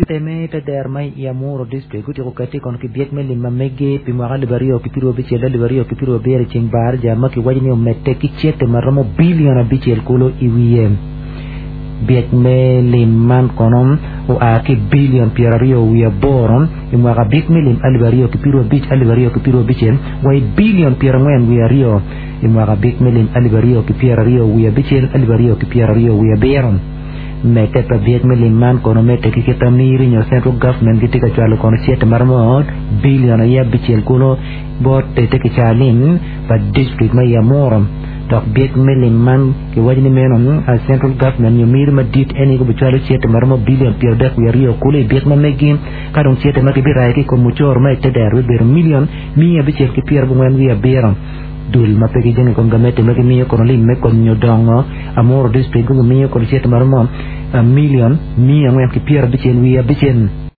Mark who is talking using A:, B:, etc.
A: Teme te dero ma i Amuru District gutyeko kati kono ki byek me lim ma megi pi mwaka 2026 2027 i ceng baraja ma kiwaco ni omedde ki cente ma romo bilion abicel kulu i wiye. Byek me lim man kono oa ki bilion 28 i mwaka byek me lim 2025 2026 wa i bilion 42 i mwaka byek me lim 2026 2027. Medde pa byek me lim man kono medde ki kit amiri nyo central government gitye ka cwalo kono cente maromo billion aye abicel kulu bot te kicaa lim pa district ma i Amuru. Dok byek me lim man kiwaco ni meno central government nyo miri madit en aye gubicwalo cente maromo billion 32 kulu i byek ma megi ka dong cente ma gibirayo ki i kom mucoro ma i te dero bibedo million 597. Dul ma pe gijenge i kom gamente ma gimiyo kono lim me konyo dongo Amuru District gubimiyo kono cente ma romo milion 496.